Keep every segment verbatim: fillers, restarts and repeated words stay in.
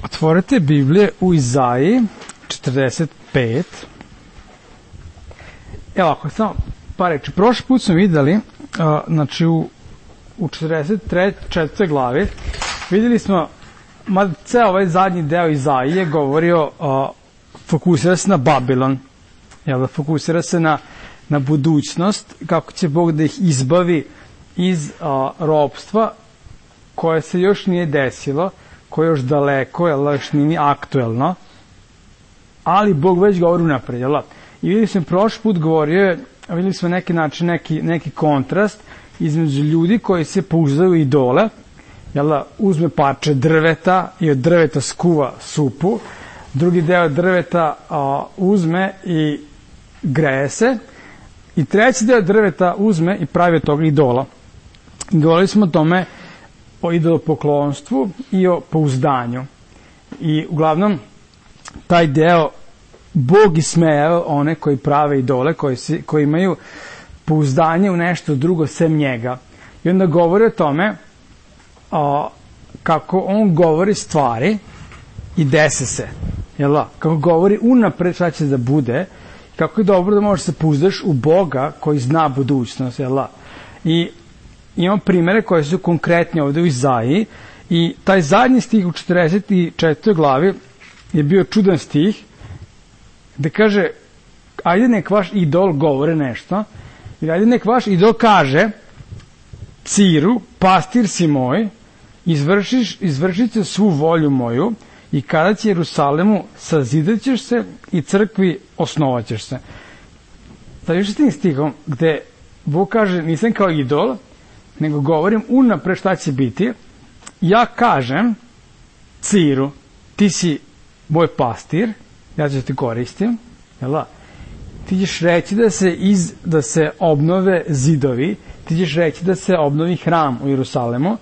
Otvorite Biblije u Izaiji četrdeset pet. Evo ako samo pa reći, prošli put smo videli, uh, znači u, u četrdeset četvrtoj glavi, videli smo, mada ceo ovaj zadnji deo Izaije govorio, uh, fokusira se na Babilon, jel da, fokusira se na, na budućnost, kako će Bog da ih izbavi iz uh, ropstva koje se još nije desilo, koje je još daleko, jel da, još nije aktuelno, ali Bog već govori unapred, jel da. I videli smo, prošli put govorio, videli smo neki način, neki, neki kontrast između ljudi koji se pouzdaju u idole, jel da, uzme parče drveta i od drveta skuva supu, drugi deo drveta a, uzme i greje se, i treći deo drveta uzme i pravi od toga idola. Govorili smo o tome, o idolopoklonstvu i o pouzdanju. I uglavnom, taj deo Bog ismejao one koji prave idole, koji, si, koji imaju pouzdanje u nešto drugo sem njega. I onda govori o tome a, kako on govori stvari i dese se. Jel da? Kako govori unapred šta će da bude, kako je dobro da možeš se pouzdaš u Boga koji zna budućnost. Jel da? I imamo primere koje su konkretni ovde u Izaiji, i taj zadnji stih u četrdeset četvrtoj glavi je bio čudan stih, gde kaže, ajde nek vaš idol govore nešto, ili ajde nek vaš idol kaže Ciru, pastir si moj, izvršiš, izvršit će svu volju moju, i kada će Jerusalemu sazidat ćeš se i crkvi osnovat ćeš se. Sa još tim stihom, gde Bog kaže, nisam kao idol, nego govorim unapred šta će biti, ja kažem Ciru, ti si moj pastir, ja ću te koristim, jel da? Ti ćeš reći da se, iz, da se obnove zidovi, ti ćeš reći da se obnovi hram u Jerusalemu,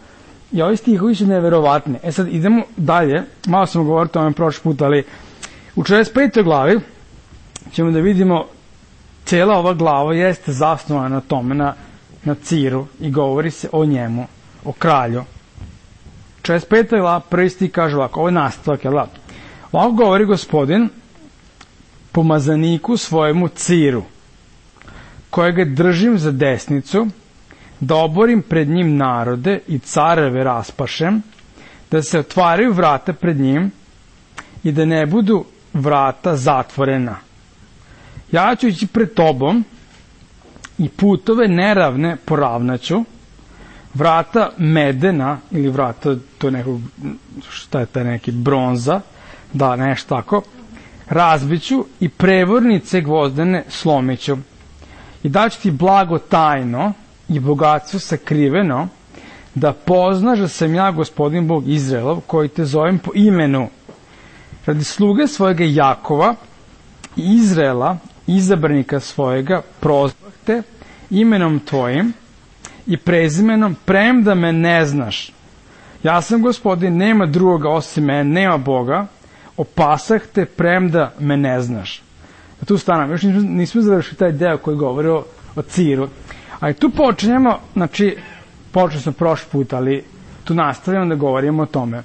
i ovi stihovi su neverovatni. E sad idemo dalje, malo sam govorio o tome prošli put, ali u četrdeset petoj glavi ćemo da vidimo, cijela ova glava jeste zasnovana na tome, na, na Ciru, i govori se o njemu, o kralju. četrdeset peta glava, prvi stih kaže ovako, ovo je nastavak, jel da? Ovako govori Gospodin pomazaniku svojemu Ciru, kojega držim za desnicu, da oborim pred njim narode i careve raspašem, da se otvaraju vrata pred njim i da ne budu vrata zatvorena. Ja ću ići pred tobom i putove neravne poravnaću, vrata medena ili vrata, to je nekog, šta je taj neki, bronza, da, nešto tako, razbiću i prevornice gvozdene slomiću. I daću ti blago tajno i bogatstvo sakriveno, da poznaš da sam ja Gospodin Bog Izraelov, koji te zovem po imenu. Radi sluge svojega Jakova i Izraela, izabranika svojega, prozvah te imenom tvojim i prezimenom, premda me ne znaš. Ja sam Gospodin, nema drugoga osim mene, nema Boga, opasah te premda me ne znaš. A tu stanam, još nismo, nismo završili taj deo koji govori o, o Ciru. Ali tu počinjemo, znači, počeli smo prošli put, ali tu nastavljamo da govorimo o tome.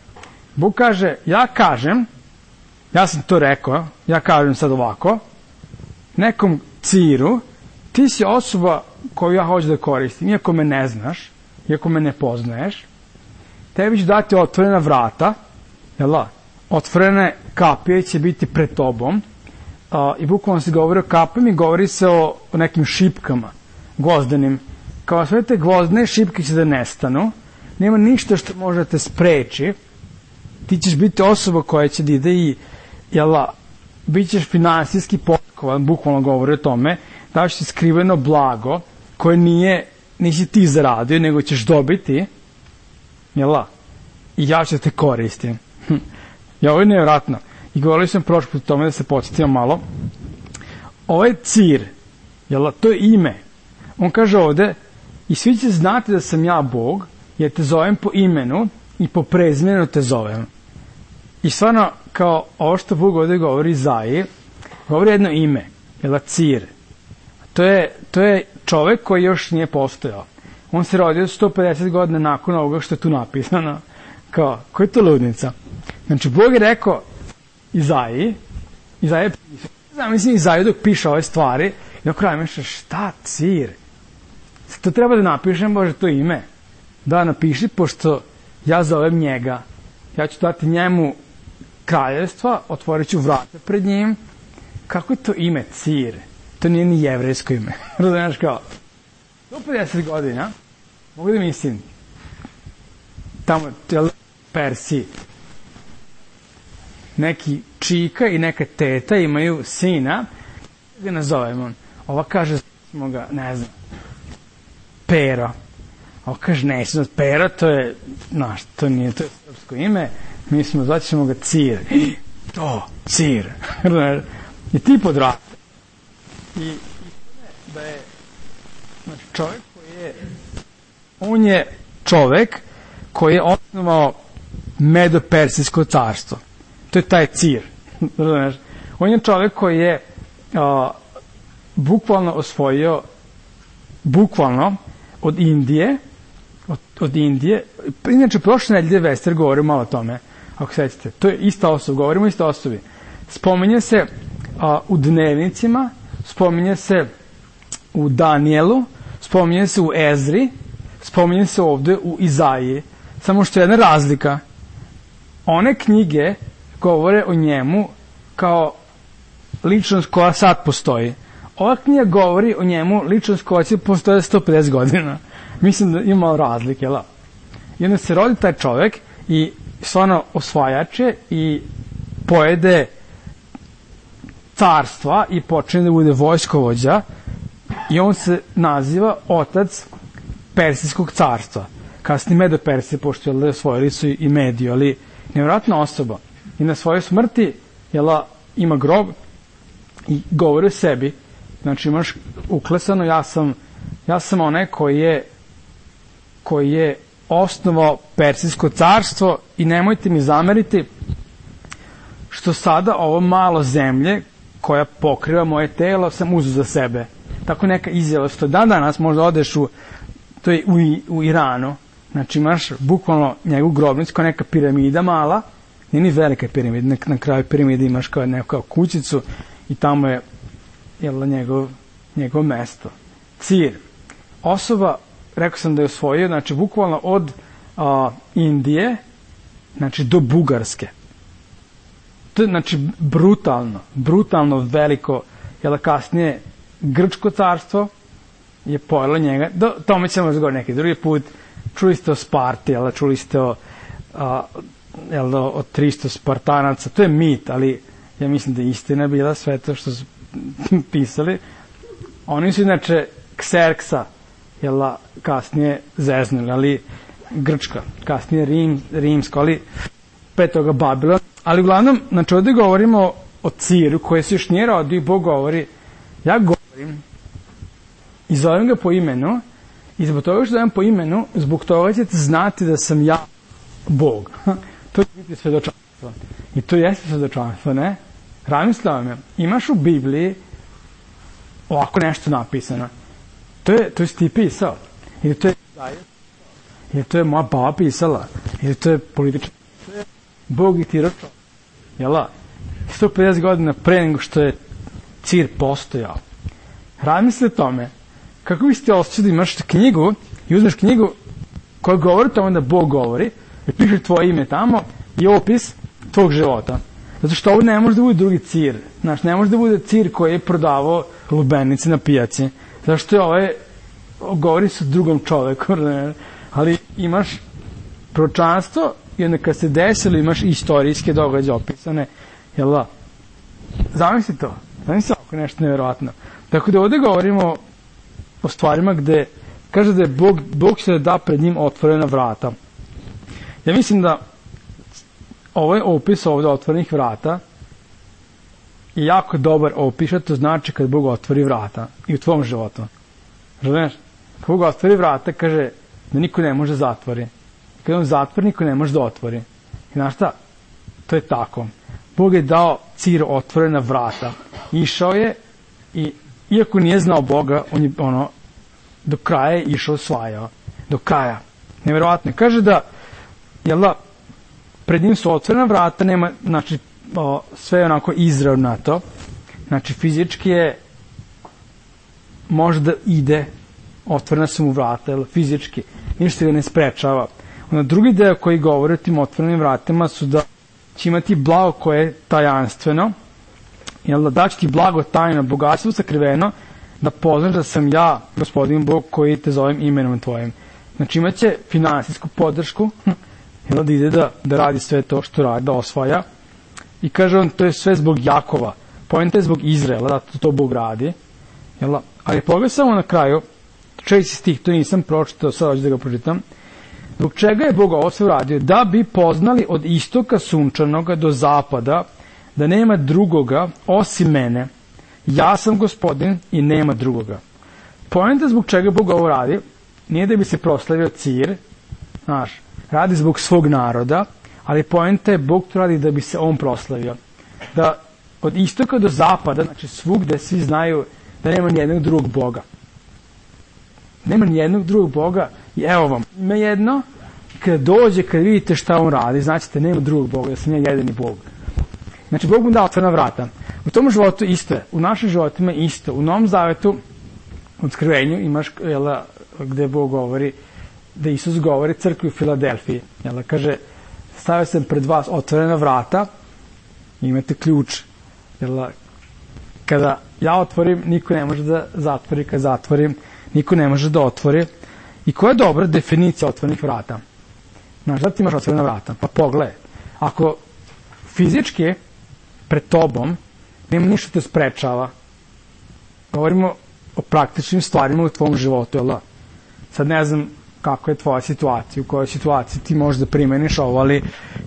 Bog kaže, ja kažem, ja sam to rekao, ja kažem sad ovako, nekom Ciru, ti si osoba koju ja hoću da koristim, iako me ne znaš, iako me ne poznaješ, tebi ću dati otvorena vrata, jel da? Otvorene kapije će biti pred tobom, a, i bukvalno se govori o kapijama i govori se o, o nekim šipkama gvozdenim. Kao sve te gvozdne šipke će da nestanu, nema ništa što može da te spreči, ti ćeš biti osoba koja će da ide i, jel da, bit ćeš finansijski potkovan, bukvalno govori o tome, daš ti skriveno blago koje nije, nisi ti zaradio, nego ćeš dobiti, jel da, i ja ću te koristim. Ja, ovo je nevjerojatno. I govorili sam prošli put o tome, da se podsjetimo malo. Ovaj Cir, jel da, to je ime. On kaže ovde, i svi će znati da sam ja Bog, jer te zovem po imenu i po prezimenu te zovem. I stvarno, kao ovo što Bog ovde govori Izaiji, govori jedno ime, jel da, Cir. To je, to je čovek koji još nije postojao. On se rodio sto pedeset godina nakon ovoga što je tu napisano. Kao, koja je to ludnica? Znači, Bog je rekao Izaiji, Izaija, mislim, Izaiju dok piše ove stvari, i dok kraju mišlja, šta Cir? To treba da napišem, Bože, to ime. Da, napiši, pošto ja zovem njega. Ja ću dati njemu kraljevstva, otvorit ću vrata pred njim. Kako je to ime Cir? To nije ni jevrejsko ime. Razumiješ kao? Do pedeset godina, mogu da mislim, tamo, Persiji, neki čika i neka teta imaju sina, ga nazovemo. Ova kaže, smo ga, ne znam, Pero. Ova kaže, nećemo, Pero, to je, znaš, to nije, to je srpsko ime, mi smo, zvat ćemo ga Cir. To, Cir. I ti podraste. I da je, znači, čovjek koji je, on je čovjek koji je osnovao Medo-Persijsko carstvo. To je taj Cir. On je čovjek koji je a, bukvalno osvojio bukvalno od Indije od, od Indije. Inače, prošle nedelje Vester govorio malo o tome, ako sećate. To je ista osoba, govorimo o ista osobi. Spominje se a, u dnevnicima, spominje se u Danielu, spominje se u Ezri, spominje se ovde u Izaiji. Samo što je jedna razlika. One knjige govore o njemu kao ličnost koja sad postoji. Ova knjiga govori o njemu ličnost koja će postoje sto pedeset godina. Mislim da ima malo razlike. La. I onda se rodi taj čovjek i stvarno osvajače i pojede carstva i počne da bude vojskovođa i on se naziva otac Persijskog carstva. Kasnije Medo-Persije, pošto je osvojili su i Mediju, ali nevjerojatna osoba. I na svojoj smrti jela, ima grob i govori o sebi. Znači imaš uklesano, ja sam, ja sam onaj koji je, koji je osnovao Persijsko carstvo i nemojte mi zameriti što sada ovo malo zemlje koja pokriva moje telo sam uzeo za sebe. Tako neka izjava, što dan danas možda odeš u, to je u, u Iranu, znači imaš bukvalno njegovu grobnicu kao neka piramida mala, nije ni velika piramida, na, na kraju piramide imaš kao neku kao kućicu i tamo je jel, njegov, njegov mesto. Cir. Osoba, rekao sam da je osvojio, znači bukvalno od a, Indije, znači do Bugarske. To je znači brutalno, brutalno veliko, jel kasnije Grčko carstvo je pojelo njega, do tome ćemo razgovoriti neki drugi put. Čuli ste o Sparti, jel, čuli ste o, a, jel, o tristo Spartanaca, to je mit, ali ja mislim da je istina bila sve to što su pisali. Oni su inače Kserksa, jel, kasnije zeznuli, ali Grčka, kasnije Rim, Rimsko, ali pre toga Babilon. Ali uglavnom, znači ovdje govorimo o Ciru koji se još nije rodio i Bog govori, ja govorim i zovem ga po imenu i zbog toga što zovem po imenu, zbog toga ćete znati da sam ja Bog. To će biti svedočanstvo. I to jeste svedočanstvo, ne? Razmislio je, imaš u Bibliji ovako nešto napisano. To je, to je ti pisao. Ili to je ili to je moja baba pisala. Ili to je politički. To je Bog i ti ročo. Jela? sto pedeset godina pre nego što je Cir postojao. Razmisli o tome. Kako biste osjećali da imaš knjigu i uzmeš knjigu koja govori tamo da Bog govori i piše tvoje ime tamo i opis tvog života. Zato što ovo ne može da bude drugi Cir. Znaš, ne može da bude Cir koji je prodavao lubenice na pijaci. Zato što je ovaj govori sa drugom čoveku. Ali imaš proročanstvo i onda kad se desilo imaš istorijske događaje opisane. Jel da? Zamisli to. Zamisli ako nešto nevjerojatno. Tako da ovdje govorimo o stvarima gde kaže da je Bog, Bog će da da pred njim otvorena vrata. Ja mislim da ovaj opis ovdje otvorenih vrata je jako dobar opis, to znači kad Bog otvori vrata i u tvom životu. Razumiješ? Kad Bog otvori vrata, kaže da niko ne može zatvori. Kad on zatvori, niko ne može da otvori. I znaš šta? To je tako. Bog je dao Ciru otvorena vrata. Išao je i iako nije znao Boga, on je ono do kraja je išao osvajao. Do kraja. Nevjerovatno. Kaže da, jel da, pred njim su otvorena vrata, nema, znači, o, sve je onako izravnato, znači, fizički je, može da ide, otvorena su mu vrata, jel, fizički, ništa ga ne sprečava. Onda drugi deo koji govori o tim otvorenim vratima su da će imati blago koje je tajanstveno, jel, da daći ti blago tajno, bogatstvo sakriveno, da poznaš da sam ja, gospodin Bog, koji te zovem imenom tvojim. Znači imaće finansijsku podršku, jel, da ide da, da radi sve to što radi, da osvaja. I kaže on, to je sve zbog Jakova. Poenta je zbog Izraela, da to, to Bog radi. Jel, ali pogledaj samo na kraju, čeći stih, to nisam pročitao, sad hoću da ga pročitam. Zbog čega je Bog ovo sve uradio? Da bi poznali od istoka sunčanoga do zapada, da nema drugoga osim mene. Ja sam gospodin i nema drugoga. Poenta zbog čega Bog ovo radi, nije da bi se proslavio Cir, znaš, radi zbog svog naroda, ali poenta je Bog to radi da bi se on proslavio. Da od istoka do zapada, znači svugde svi znaju da nema nijednog drugog Boga. Nema nijednog drugog Boga i evo vam, ima jedno, kada dođe, kada vidite šta on radi, značite, nema drugog Boga, da sam ja jedini Bog. Znači, Bog mu da otvorena vrata. U tom životu isto je, u našim životima isto. U Novom Zavetu, u Otkrivenju, imaš, jela, gde Bog govori, da Isus govori crkvi u Filadelfiji. Jela, kaže, stavio sam pred vas otvorena vrata, imate ključ. Jela, kada ja otvorim, niko ne može da zatvori, kada zatvorim, niko ne može da otvori. I koja je dobra definicija otvorenih vrata? Znaš, da ti imaš otvorena vrata? Pa pogledaj. Ako fizički pred tobom nema ništa te sprečava, govorimo o praktičnim stvarima u tvom životu, jel da? Sad ne znam kako je tvoja situacija, u kojoj situaciji ti možeš da primeniš ovo, ali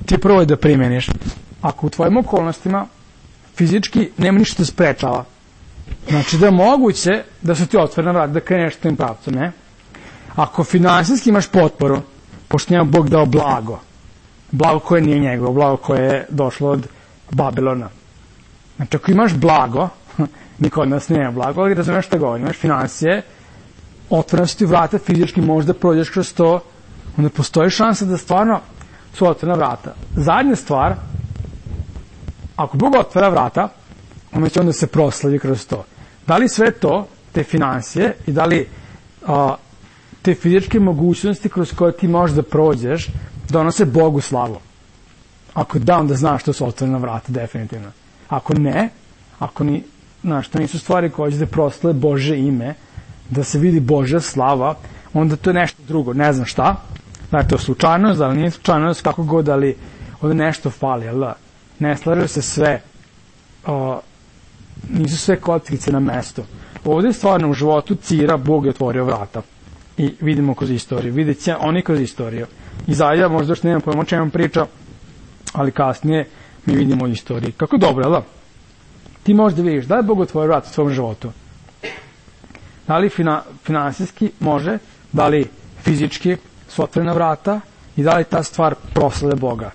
ti prvo je da primeniš. Ako u tvojim okolnostima fizički nema ništa te sprečava, znači da je moguće da su ti otvorena vrata, da kreneš tim pravcom, ne? Ako finansijski imaš potporu, pošto njema Bog dao blago, blago koje nije njegovo, blago koje je došlo od Babilona. Znači, ako imaš blago, niko od nas nema blago, ali razumeš šta govorim, imaš finansije, otvorena su ti vrata, fizički možda prođeš kroz to, onda postoji šansa da stvarno su otvorena vrata. Zadnja stvar, ako Bog otvara vrata, onda će onda se proslavi kroz to. Da li sve to, te finansije i da li a, te fizičke mogućnosti kroz koje ti možeš da prođeš, donose Bogu slavu? Ako da, onda znaš što su otvorena vrata, definitivno. Ako ne, ako ni, znaš, to nisu stvari koje će da proslave Bože ime, da se vidi Božja slava, onda to je nešto drugo, ne znam šta, da je to slučajnost, da li nije slučajnost, kako god, ali onda nešto fali, jel da? Ne slažu se sve, o, nisu sve kockice na mestu. Ovdje stvarno u životu Cira Bog je otvorio vrata. I vidimo kroz istoriju, vidjet će oni kroz istoriju. Izaija možda još nemam pojma o čemu priča, ali kasnije mi vidimo istoriju. Kako dobro, jel da? Ti možda vidiš da je Bog otvorio vrata u svom životu. Da li fina, finansijski može, da li fizički su otvorena vrata i da li ta stvar proslave Boga.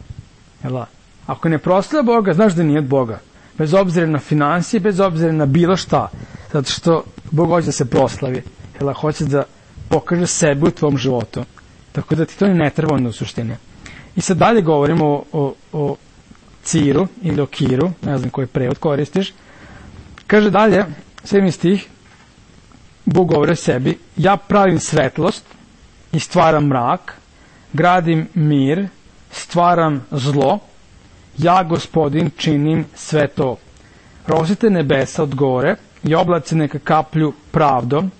Jel da? Ako ne proslave Boga, znaš da nije od Boga. Bez obzira na finansije, bez obzira na bilo šta. Zato što Bog hoće da se proslavi. Jel da? Hoće da pokaže sebe u tvom životu. Tako da ti to ne treba onda u suštini. I sad dalje govorimo o, o, o Ciru ili o Kiru, ne znam koji prevod koristiš. Kaže dalje, sedmi stih, Bog govori o sebi, ja pravim svetlost i stvaram mrak, gradim mir, stvaram zlo, ja gospodin činim sve to. Rosite nebesa od gore i oblaci neka kaplju pravdom,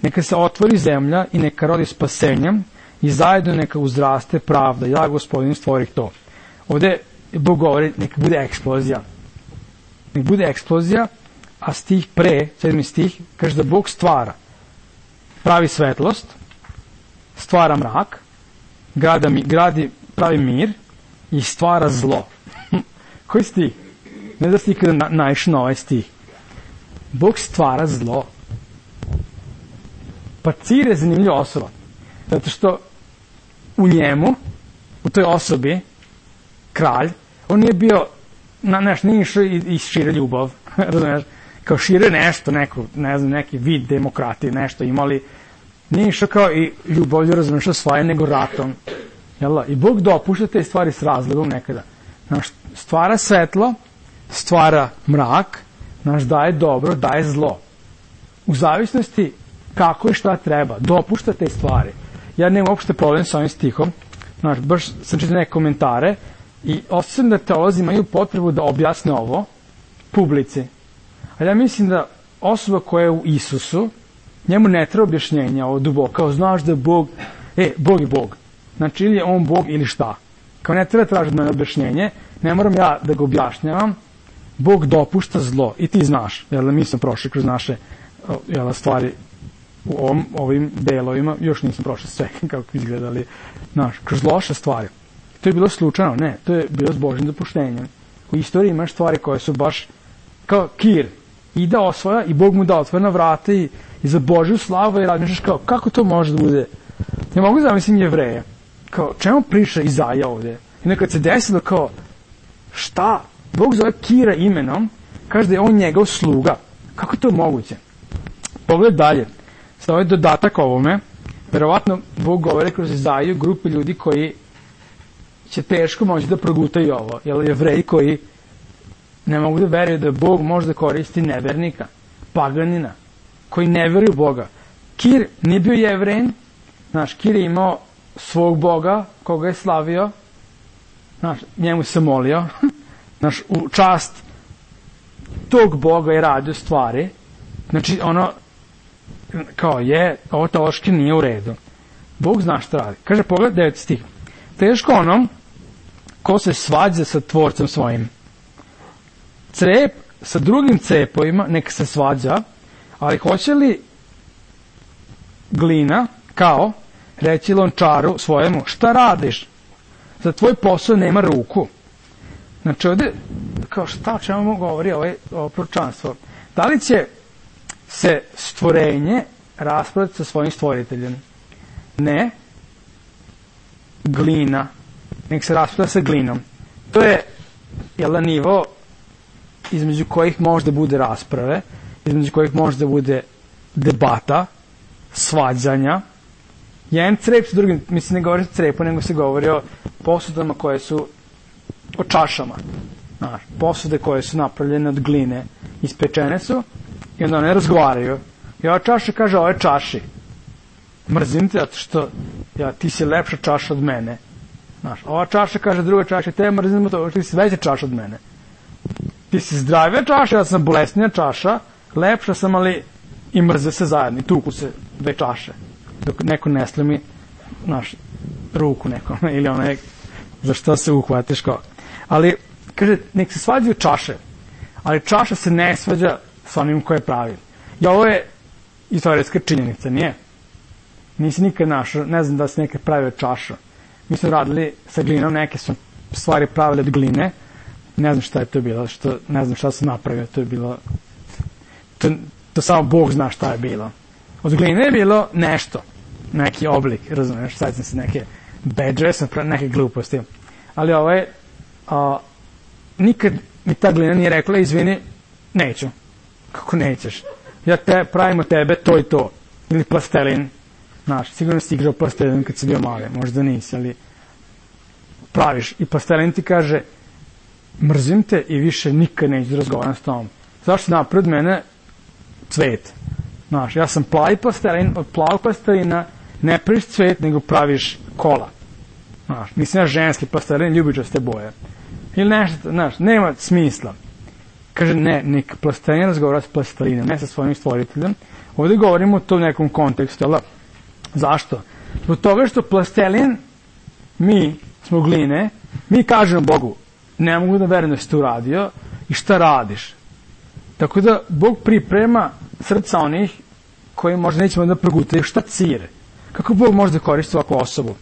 neka se otvori zemlja i neka rodi spasenjem i zajedno neka uzraste pravda. Ja, gospodin, stvorih to. Ovdje Bog govori, neka bude eksplozija. Neka bude eksplozija, a stih pre, sedmi stih, kaže da Bog stvara. Pravi svetlost, stvara mrak, gradi, gradi pravi mir i stvara zlo. Koji stih? Ne da si ikada na, naišao na ovaj stih. Bog stvara zlo. Pa Cir je zanimljiva osoba. Zato što u njemu, u toj osobi, kralj, on nije bio, na, neš, nije išao i, i šire ljubav, razumiješ, kao šire nešto, neko, ne znam, neki vid demokratije, nešto imali, nije išao kao i ljubavlju, razumiješ, svoje, nego ratom. Jel, i Bog dopušta te stvari s razlogom nekada. Znaš, stvara svetlo, stvara mrak, znaš, daje dobro, daje zlo. U zavisnosti kako i šta treba, dopušta te stvari. Ja nemam uopšte problem sa ovim stihom, znaš, baš sam čitao neke komentare i osjećam da teolozi imaju potrebu da objasne ovo publici. A ja mislim da osoba koja je u Isusu, njemu ne treba objašnjenja ovo duboko, kao znaš da je Bog, e, Bog je Bog. Znači, ili je on Bog ili šta. Kao ne treba tražiti mene objašnjenje, ne moram ja da ga objašnjavam, Bog dopušta zlo i ti znaš, jer mi smo prošli kroz naše jel, stvari u ovom, ovim delovima, još nisam prošao sve kako izgledali, znaš, kroz loše stvari. To je bilo slučajno, ne, to je bilo s Božim dopuštenjem. U istoriji imaš stvari koje su baš kao Kir, ide osvoja i Bog mu da otvorena vrata i, i za Božju slavu i razmišljaš kao, kako to može da bude? Ne mogu zamislim Jevreja, kao, čemu priča Izaja ovde? I nekad se desilo kao, šta? Bog zove Kira imenom, kaže da je on njegov sluga. Kako je to moguće? Pogled dalje. Sada ovaj dodatak ovome, verovatno Bog govore kroz Izaju grupe ljudi koji će teško moći da progutaju ovo. Jer Jevreji koji ne mogu da veruju da Bog može da koristi nevernika, paganina, koji ne veruju Boga. Kir nije bio Jevrein, znaš, Kir je imao svog Boga, koga je slavio, znaš, njemu se molio, znaš, u čast tog Boga je radio stvari, znači, ono, kao je, ovo teološki nije u redu. Bog zna šta radi. Kaže, pogled deveti stih. Teško onom ko se svađa sa tvorcem svojim. Crep sa drugim cepovima neka se svađa, ali hoće li glina, kao, reći lončaru svojemu, šta radiš? Za tvoj posao nema ruku. Znači ovde, kao šta o čemu govori ovaj, ovo proročanstvo? Da li će se stvorenje raspraviti sa svojim stvoriteljem? Ne. Glina. Nek se raspravlja sa glinom. To je, jel da, nivo između kojih može da bude rasprave, između kojih može da bude debata, svađanja. Jedan crep s drugim, mislim ne govori o crepu, nego se govori o posudama koje su, o čašama. Znaš, posude koje su napravljene od gline, ispečene su, i onda one razgovaraju. I ova čaša kaže, ovo je čaši. Mrzim te, zato što ja, ti si lepša čaša od mene. Znaš, ova čaša kaže druga čaša, te mrzim to, ti si veća čaša od mene. Ti si zdravija čaša, ja sam bolesnija čaša, lepša sam, ali i mrze se zajedno, i tuku se dve čaše. Dok neko ne slimi, znaš, ruku nekome, ili onaj, za što se uhvatiš kao. Ali, kaže, nek se svađaju čaše, ali čaša se ne svađa sa onim koje pravi. I ovo je istorijska činjenica, nije? Nisi nikad našao, ne znam da se nekad pravio čaša. Mi smo radili sa glinom, neke su stvari pravili od gline, ne znam šta je to bilo, što, ne znam šta sam napravio, to je bilo, to, to samo Bog zna šta je bilo. Od gline je bilo nešto, neki oblik, razumiješ, sad sam se neke bedže, sam pravio neke gluposti. Ali ovo je, a, nikad mi ta glina nije rekla, izvini, neću. Kako nećeš? Ja te, pravimo tebe to i to. Ili plastelin. Znaš, sigurno si igrao plastelin kad si bio mali, možda nisi, ali praviš. I plastelin ti kaže, mrzim te i više nikad neću da razgovaram s tobom. Zašto napred mene cvet? Znaš, ja sam plavi plastelin, od plavog plastelina ne praviš cvet, nego praviš kola. Znaš, nisam ja ženski plastelin, ljubičaste boje. Ili nešto, znaš, nema smisla. Kaže, ne, nek plastelin razgovara s plastelinom, ne sa svojim stvoriteljem. Ovdje govorimo o tom nekom kontekstu, ali zašto? Zbog toga što plastelin, mi smo gline, mi kažemo Bogu, ne mogu da verujem da si to uradio i šta radiš. Tako da Bog priprema srca onih koji možda nećemo da progutaju šta cire. Kako Bog može da koristi ovakvu osobu?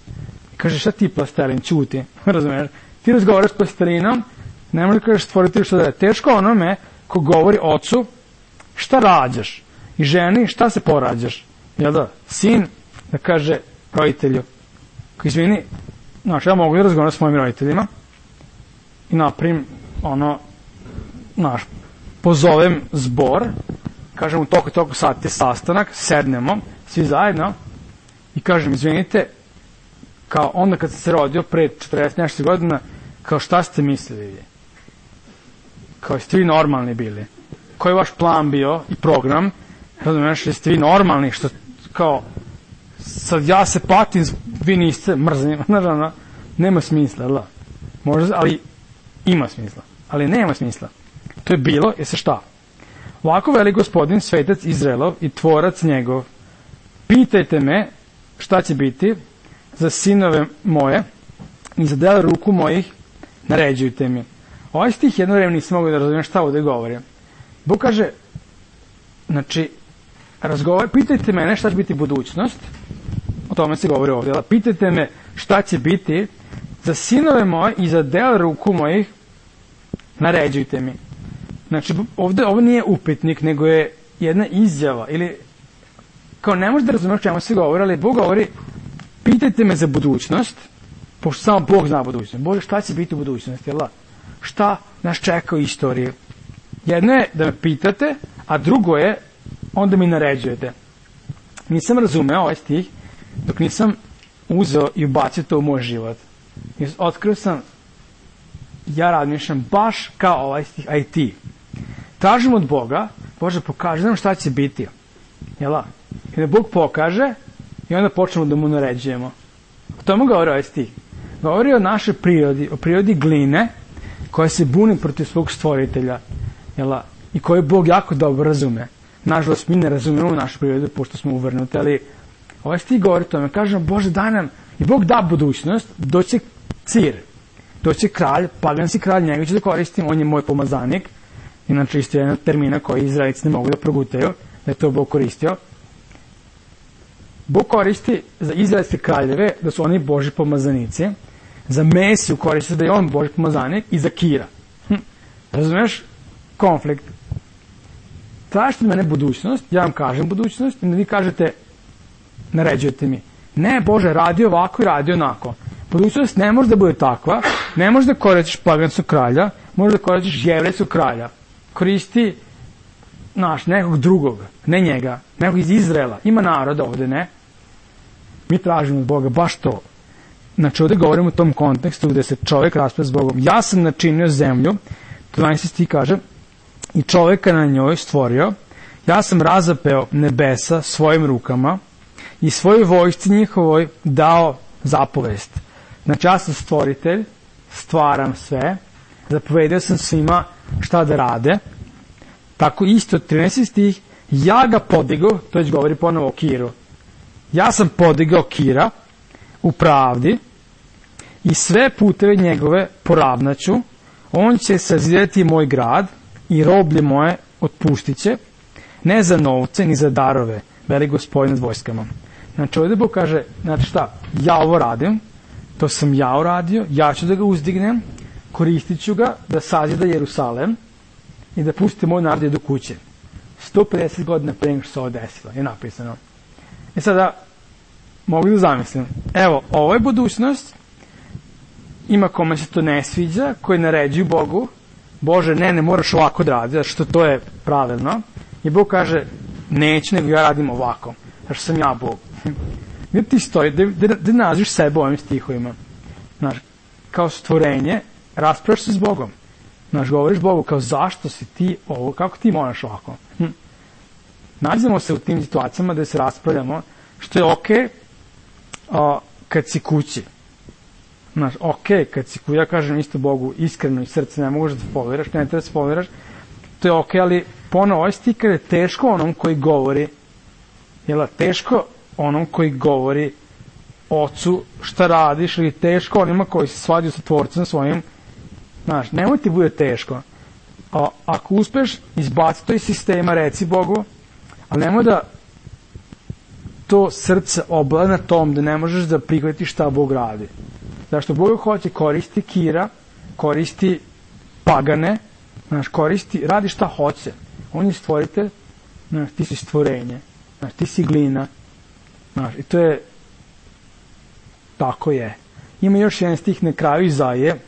Kaže, šta ti plastelin, ćuti, razumiješ? Ti razgovaraš s plastelinom, ne može da kažeš stvoritelju šta da je. Teško onome ko govori ocu šta rađaš i ženi šta se porađaš. Jel da? Sin da kaže roditelju, izvini, znaš, ja mogu da razgovaram s mojim roditeljima i naprim, ono, znaš, pozovem zbor, kažem u toliko toliko sati sastanak, sednemo, svi zajedno i kažem, izvinite, kao onda kad sam se rodio pre četrdeset nešto godina, kao šta ste mislili vi? Kao jeste vi normalni bili? Koji je vaš plan bio i program? Razumiješ, jeste vi normalni? Što, kao, sad ja se patim, vi niste mrzim, naravno, nema smisla, da? Možda, ali ima smisla, ali nema smisla. To je bilo, je se šta? Ovako veli gospodin, svetac Izraelov i tvorac njegov, pitajte me šta će biti za sinove moje i za delo ruku mojih naređujte mi. Ovaj stih jedno vreme nisam mogu da razumijem šta ovde govori. Bog kaže, znači, razgovor, pitajte mene šta će biti budućnost, o tome se govori ovdje, pitajte me šta će biti za sinove moje i za delo ruku mojih naređujte mi. Znači, ovdje ovo nije upitnik, nego je jedna izjava, ili, kao ne možete razumjeti o čemu se govori, ali Bog govori, pitajte me za budućnost, pošto samo Bog zna budućnost. Bože, šta će biti u budućnosti, jel da? Šta nas čeka u istoriji? Jedno je da me pitate, a drugo je, onda mi naređujete. Nisam razumeo ovaj stih, dok nisam uzeo i ubacio to u moj život. I otkrio sam, ja razmišljam baš kao ovaj stih, a i ti. Tražim od Boga, Bože, pokaži nam šta će biti. Jel' i da Bog pokaže i onda počnemo da mu naređujemo. O tome govori ovaj stih. Govori o našoj prirodi, o prirodi gline koja se buni protiv svog stvoritelja. Jel' i koju Bog jako dobro razume. Nažalost, mi ne razumemo našu prirodu pošto smo uvrnuti, ali ovaj stih govori o tome. Kažemo, Bože, daj nam, i Bog da budućnost, doće cir, doće kralj, paganski kralj, njega ću da koristim, on je moj pomazanik. Inače, isto je jedna termina koju Izraelici ne mogu da progutaju, da je to Bog koristio. Bog koristi za izraelske kraljeve da su oni Boži pomazanici, za Mesiju koristi da je on Boži pomazanik i za Kira. Hm. Razumeš? Konflikt. Tražite mene budućnost, ja vam kažem budućnost, i vi kažete, naređujete mi. Ne, Bože, radi ovako i radi onako. Budućnost ne može da bude takva, ne može da koristiš paganskog kralja, može da koristiš jevrejskog kralja. Koristi naš, nekog drugog, ne njega, nekog iz Izraela. Ima naroda ovde, ne? Mi tražimo od Boga baš to. Znači, ovde govorimo u tom kontekstu gde se čovjek raspravlja s Bogom. Ja sam načinio zemlju, dvanaesti stih kaže, i čovjeka na njoj stvorio, ja sam razapeo nebesa svojim rukama i svojoj vojsci njihovoj dao zapovest. Znači, ja sam stvoritelj, stvaram sve, zapovedio sam svima šta da rade. Tako isto, trinaesti stih, ja ga podigao, to već govori ponovo o Kiru. Ja sam podigao Kira u pravdi i sve puteve njegove poravnaću, on će sazidati moj grad i roblje moje otpuštit će, ne za novce ni za darove, veli Gospodin nad vojskama. Znači, ovdje Bog kaže, znači šta, ja ovo radim, to sam ja uradio, ja ću da ga uzdignem, koristit ću ga da sazida Jerusalem i da pusti moj narod do kuće. sto pedeset godina pre nego što se ovo desilo, je napisano. I sada, mogu da zamislim, evo, ovo je budućnost, ima kome se to ne sviđa, koji naređuju Bogu, Bože, ne, ne moraš ovako da radi, zato što to je pravilno, i Bog kaže, neću, nego ja radim ovako, zato što sam ja Bog. Gdje ti stoji, gdje naziš sebe ovim stihovima? Znaš, kao stvorenje, raspravljaš se s Bogom. Znaš, govoriš Bogu kao zašto si ti ovo, kako ti moraš ovako. Hm. Nađemo se u tim situacijama gde se raspravljamo, što je okej okay, kad si kući. Znaš, okej, okay, kad si kući, ja kažem isto Bogu iskreno i srce, ne možeš da spoliraš, ne treba da spoliraš, to je okej, okay, ali ponovo ovaj stiker je teško onom koji govori, jel, teško onom koji govori ocu šta radiš, ili teško onima koji se svađaju sa tvorcem svojim. Znaš, nemoj ti bude teško. A, ako uspeš, izbaci to iz sistema, reci Bogu, ali nemoj da to srce oblada na tom da ne možeš da prihvatiš šta Bog radi. Zašto Bog hoće, koristi Kira, koristi pagane, znaš, koristi, radi šta hoće. On je stvoritelj, znaš, ti si stvorenje, znaš, ti si glina, znaš, i to je, tako je. Ima još jedan stih na kraju Izaije,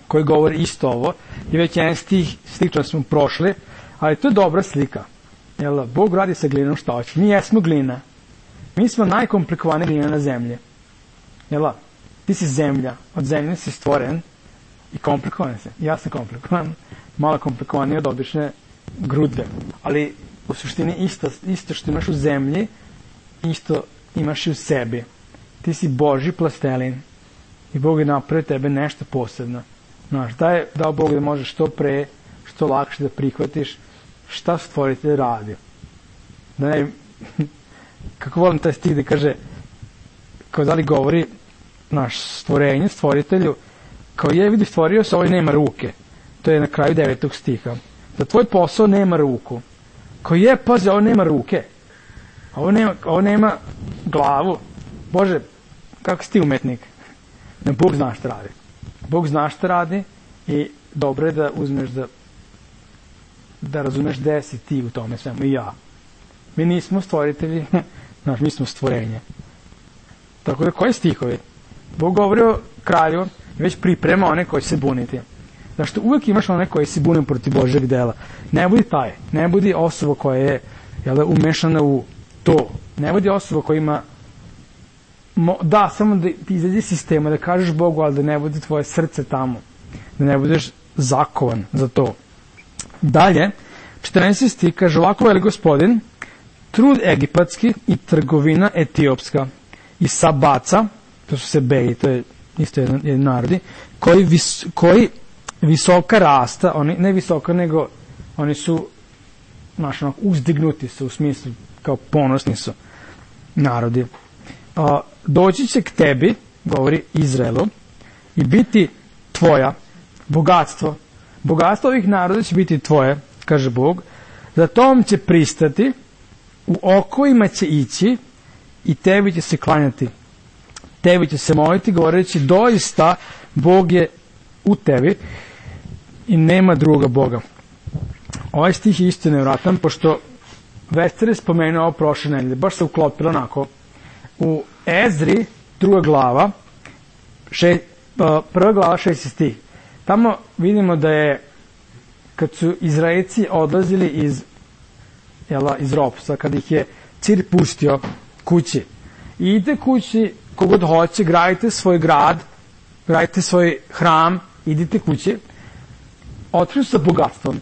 koji govori isto ovo, i već jedan stih, slično smo prošli, ali to je dobra slika. Jel, Bog radi sa glinom šta hoće. Mi jesmo glina. Mi smo najkomplikovanija glina na zemlji. Jel, ti si zemlja, od zemlje si stvoren i komplikovan si. Ja sam komplikovan, malo komplikovaniji od obične grudve. Ali u suštini isto, isto što imaš u zemlji, isto imaš i u sebi. Ti si Božji plastelin i Bog je napravio tebe nešto posebno. Znaš, da je dao Bog da možeš što pre, što lakše da prihvatiš šta stvoritelj radi. Da ne, kako volim taj stih da kaže, kao da li govori naš stvorenje, stvoritelju, kao je vidi stvorio se, ovaj nema ruke. To je na kraju devetog stiha. Da tvoj posao nema ruku. Kao je, pazi, ovo nema ruke. Ovo nema, ovo nema glavu. Bože, kako si ti umetnik? Ne, Bog zna šta radi. Bog zna šta radi i dobro je da uzmeš da da razumeš gde si ti u tome svemu i ja. Mi nismo stvoritelji, znaš, mi smo stvorenje. Tako da, koji stihovi? Bog govori o kralju i već priprema one koji će se buniti. Zašto uvek imaš one koji se bune protiv Božjeg dela. Ne budi taj, ne budi osoba koja je jel, umešana u to. Ne budi osoba koja ima Mo, da, samo da ti izađe iz sistema, da kažeš Bogu, ali da ne bude tvoje srce tamo. Da ne budeš zakovan za to. Dalje, četrnaesti stih kaže, ovako veli Gospodin, trud egipatski i trgovina etiopska i sabaca, to su sebeji, to je isto jedan, jedan narodi, koji, vis, koji visoka rasta, oni, ne visoka, nego oni su znaš, ono, uzdignuti su, u smislu kao ponosni su narodi. A, doći će k tebi, govori Izraelu, i biti tvoja bogatstvo. Bogatstvo ovih naroda će biti tvoje, kaže Bog, za tom će pristati, u okovima će ići i tebi će se klanjati. Tebi će se moliti, govoreći, doista Bog je u tebi i nema druga Boga. Ovaj stih je isto nevratan, pošto Vester je spomenuo ovo prošle nedelje, baš se uklopilo onako. U Ezri, druga glava, še, prva glava, šesti stih. Tamo vidimo da je, kad su Izraelci odlazili iz, jela, iz ropstva, kad ih je Cir pustio kući. I idite kući, kogod hoće, gradite svoj grad, gradite svoj hram, idite kući. Otišli su sa bogatstvom.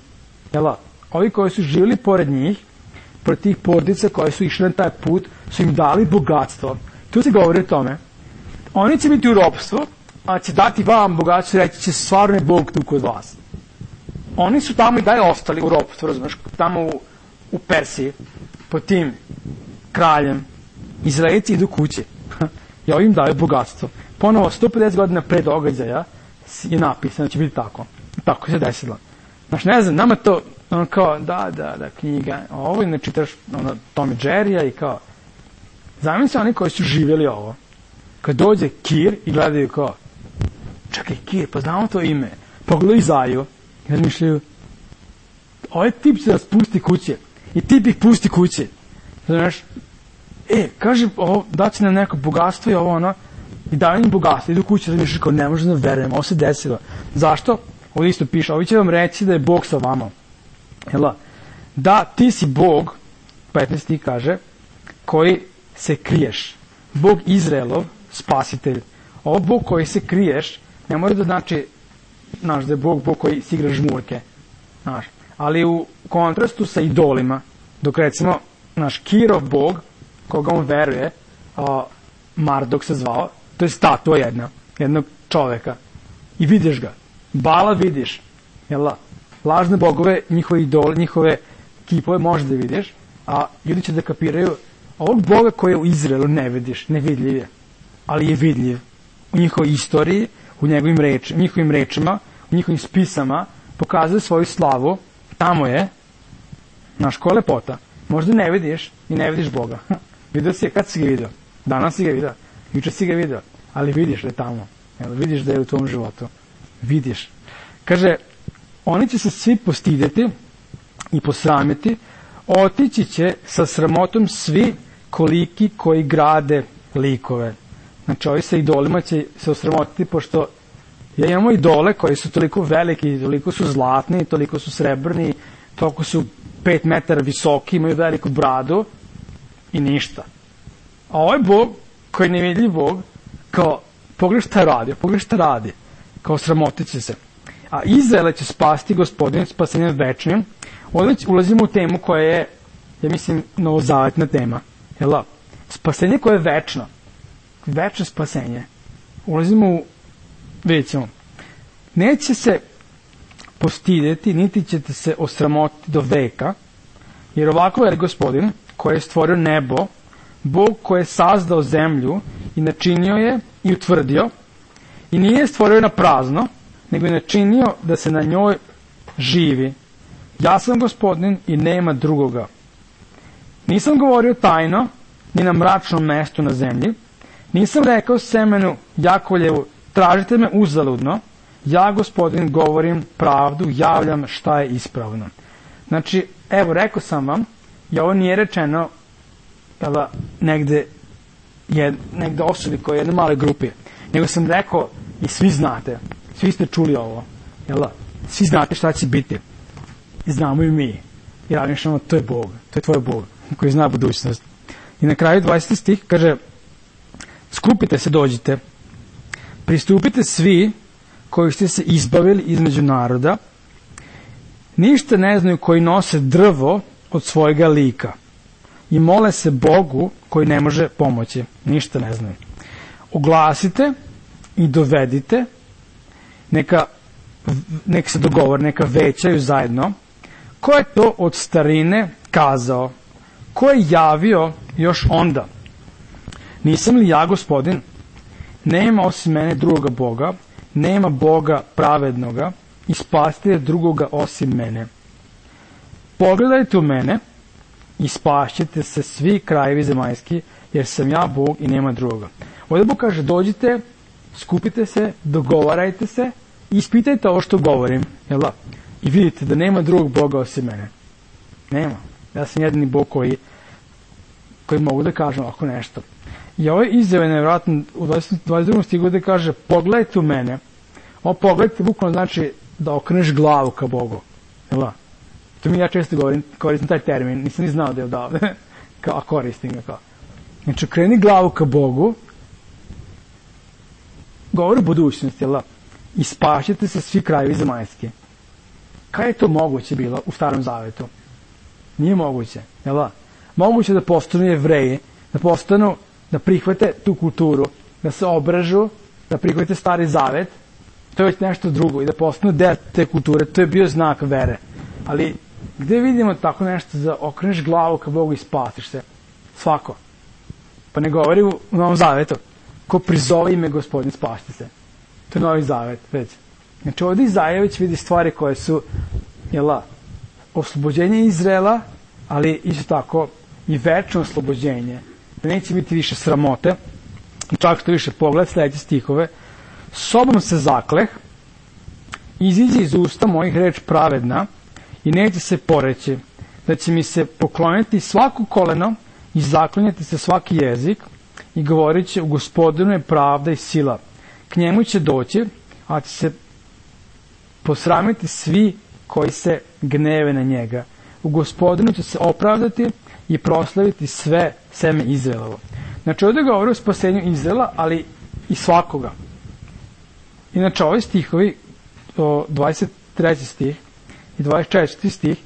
Jela, ovi koji su živjeli pored njih, pored tih porodica koji su išli na taj put, su im dali bogatstvo. Tu se govori o tome. Oni će biti u ropstvu, a će dati vam bogatstvo i reći će stvarno je Bog tu kod vas. Oni su tamo i dalje ostali u ropstvu, razumiješ, tamo u, u Persiji, pod tim kraljem. Izraelci idu kući i ovi im daju bogatstvo. Ponovo, sto pedeset godina pre događaja je napisano da će biti tako. Tako se desilo. Znaš, ne znam, nama to ono kao, da, da, da, knjiga, ovo i ne čitaš ono, Tom i Jerrya i kao, zamisli oni koji su živjeli ovo. Kad dođe Kir i gledaju kao, čekaj, Kir, pa znamo to ime. Pogledaju Izaju i razmišljaju, ovaj tip će da spusti kuće i tip ih pusti kuće. Znaš, e, kaže, ovo, daće nam neko bogatstvo i ovo ono, i daju im bogatstvo, idu kuće, razmišljaju kao, ne možemo da verujem, ovo se desilo. Zašto? Ovo isto piše, ovi će vam reći da je Bog sa vama. Jela, da ti si Bog, petnaesti kaže, koji se kriješ. Bog Izraelov, spasitelj. Ovo Bog koji se kriješ, ne mora da znači, znaš, da je Bog, Bog koji si igra žmurke. Znaš, ali u kontrastu sa idolima, dok recimo, naš Kirov Bog, koga on veruje, a, Mardok se zvao, to je statua jedna, jednog čoveka. I vidiš ga. Bala vidiš. Jela, lažne bogove, njihove idole, njihove kipove možeš da vidiš, a ljudi će da kapiraju ovog Boga koji u Izraelu ne vidiš, nevidljiv je, ali je vidljiv u njihovoj istoriji, u njegovim reč, njihovim rečima, u njihovim spisama, pokazuje svoju slavu, tamo je, znaš, koja lepota. Možda ne vidiš i ne vidiš Boga. Vidio si je, kad si ga vidio? Danas si ga vidio, juče si ga vidio, ali vidiš da je tamo, jel, vidiš da je u tvom životu. Vidiš. Kaže, oni će se svi postidjeti i posramiti, otići će sa sramotom svi koliki koji grade likove. Znači, ovi sa idolima će se osramotiti, pošto ja imamo idole koji su toliko veliki, toliko su zlatni, toliko su srebrni, toliko su pet metara visoki, imaju veliku bradu i ništa. A ovaj Bog, koji je nevidljiv Bog, kao pogledaj šta radi, pogledaj šta radi, kao sramotit će se. A Izraela će spasti Gospodin spasenjem večnim. Ovdje ulazimo u temu koja je, ja mislim, novozavetna tema. Jel' spasenje koje je večno. Večno spasenje. Ulazimo u, vidjet ćemo. Neće se postidjeti, niti ćete se osramotiti do veka, jer ovako je Gospodin koji je stvorio nebo, Bog koji je sazdao zemlju i načinio je i utvrdio, i nije je stvorio na prazno, nego je načinio da se na njoj živi. Ja sam Gospodin i nema drugoga. Nisam govorio tajno, ni na mračnom mestu na zemlji, nisam rekao semenu Jakovljevu, tražite me uzaludno, ja, Gospodin, govorim pravdu, javljam šta je ispravno. Znači, evo, rekao sam vam, i ovo nije rečeno jela, negde, jed, negde osobi koje je jedne male grupe, nego sam rekao i svi znate, svi ste čuli ovo, jela, svi znate šta će biti. I znamo i mi. I razmišljamo, to je Bog, to je tvoj Bog, koji zna budućnost. I na kraju dvadeseti stih kaže, skupite se, dođite, pristupite svi koji ste se izbavili između naroda, ništa ne znaju koji nose drvo od svojega lika i mole se Bogu koji ne može pomoći. Ništa ne znaju. Oglasite i dovedite, neka, neka se dogovor, neka većaju zajedno. Ko je to od starine kazao? Ko je javio još onda? Nisam li ja Gospodin? Nema osim mene drugoga Boga, nema Boga pravednoga i spasitelja drugoga osim mene. Pogledajte u mene i spašćete se svi krajevi zemaljski, jer sam ja Bog i nema drugoga. Ovdje Bog kaže, dođite, skupite se, dogovarajte se i ispitajte ovo što govorim. Jel da? I vidite da nema drugog Boga osim mene. Nema. Ja sam jedini Bog koji, koji mogu da kažem ovako nešto. I ovo je izjave nevjerojatno u dvadeset drugom stigu gde kaže, pogledajte u mene. Ovo pogledajte bukvalno znači da okreneš glavu ka Bogu. Jel da? To mi ja često govorim, koristim taj termin, nisam ni znao da je odavde, kao, a koristim ga kao. Znači, okreni glavu ka Bogu, govori o budućnosti, jel da? I spašćete se svi krajevi zemaljski. Kada je to moguće bilo u Starom Zavetu? Nije moguće, jel da? Moguće da postanu Jevreji, da postanu, da prihvate tu kulturu, da se obražu, da prihvate Stari Zavet, to je već nešto drugo, i da postanu deo te kulture, to je bio znak vere. Ali, gde vidimo tako nešto da okreneš glavu ka Bogu i spasiš se? Svako. Pa ne govori u Novom Zavetu. Ko prizove ime Gospodin, spašite se. To je Novi Zavet, već. Znači, ovdje Izaija već vidi stvari koje su, jela, oslobođenje Izraela, ali isto tako i večno oslobođenje. Da neće biti više sramote. Čak što više pogled, sljedeće stihove. Sobom se zakleh, iziđe iz usta mojih reč pravedna i neće se poreći, da će mi se pokloniti svako koleno i zaklinjati se svaki jezik i govorit će, u Gospodinu je pravda i sila. K njemu će doći, a će se posramiti svi koji se gneve na njega. U Gospodinu će se opravdati i proslaviti sve seme Izraelovo. Znači, ovdje govori o spasenju Izraela, ali i svakoga. Inače, ovi stihovi, dvadeset treći stih i dvadeset četvrti stih,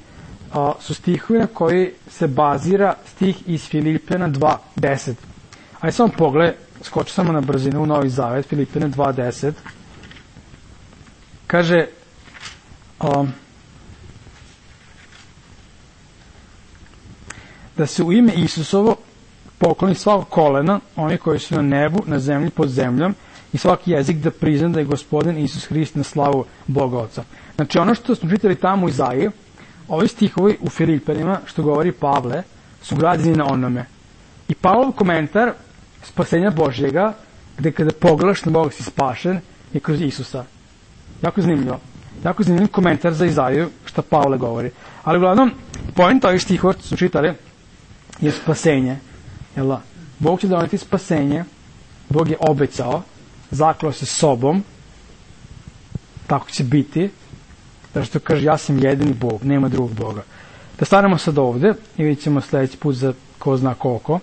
su stihovi na koji se bazira stih iz Filipljana dva deset. Ajde samo pogled, skoči samo na brzinu u Novi Zavet, Filipljana dva deset. Kaže, um, da se u ime Isusovo pokloni svako kolena, oni koji su na nebu, na zemlji, pod zemljom, i svaki jezik da prizna da je Gospodin Isus Hrist na slavu Boga Oca. Znači, ono što smo čitali tamo u Izaiji, ovi stihovi u Filipanima, što govori Pavle, su građeni na onome. I Pavlov komentar spasenja Božjega, gde kada pogledaš na Boga si spašen, je kroz Isusa. Jako zanimljivo. Jako zanimljiv komentar za Izaiju, što Pavle govori. Ali uglavnom, point ovih stihova što smo čitali je spasenje. Jel da? Bog će doneti spasenje, Bog je obećao, zaklao se sobom, tako će biti, zato što kaže, ja sam jedini Bog, nema drugog Boga. Da stanemo sad ovde i vidjet ćemo sljedeći put za ko zna koliko,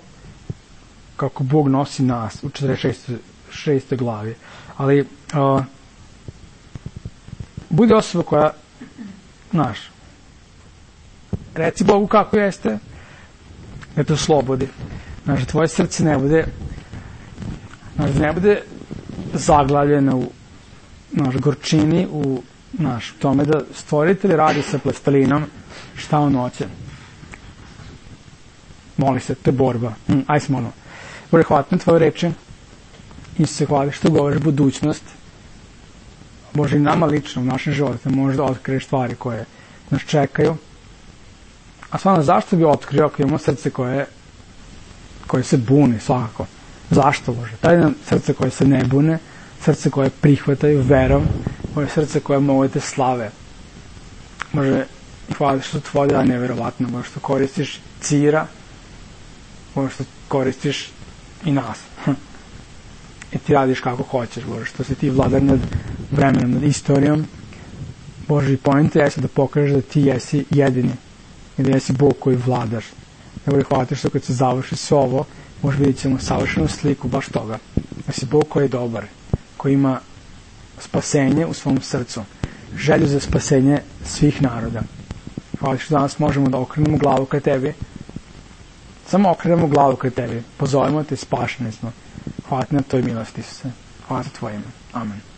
kako Bog nosi nas u četrdeset šestoj glavi. Ali uh, budi osoba koja, znaš, reci Bogu kako jeste, da te oslobodi. Znaš, da tvoje srce ne bude, znaš, da ne bude zaglavljeno u, znaš, gorčini, u, znaš, tome da stvoritelj radi sa plastelinom šta on hoće. Moli se, to je borba. Mm, aj se molimo. Bože, hvala na tvoje reči. Isuse, hvala što govoriš budućnost. Bože, i nama lično u našem životu možda otkriješ stvari koje nas čekaju. A stvarno, zašto bi otkrio ako imamo srce koje, koje se bune, svakako? Zašto, Bože? Daj nam srce koje se ne bune, srce koje prihvataju verom, moje srce koje mogu te slave. Bože, hvala što tvoje dana je nevjerovatno, Bože, što koristiš Cira, Bože, što koristiš i nas. I ti radiš kako hoćeš, Bože, što si ti vladar nad vremenom, nad istorijom. Bože, i poenta jesi da pokažeš da ti jesi jedini i da jesi Bog koji vladaš. Bože, hvala ti što kad se završi sve ovo, možda vidjet ćemo savršenu sliku baš toga. Da si Bog koji je dobar, koji ima spasenje u svom srcu, želju za spasenje svih naroda. Hvala što danas možemo da okrenemo glavu ka tebi, samo okrenemo glavu ka tebi, pozovemo te, spašeni smo. Hvala ti na toj milosti, Isuse. Hvala za tvoje ime. Amen.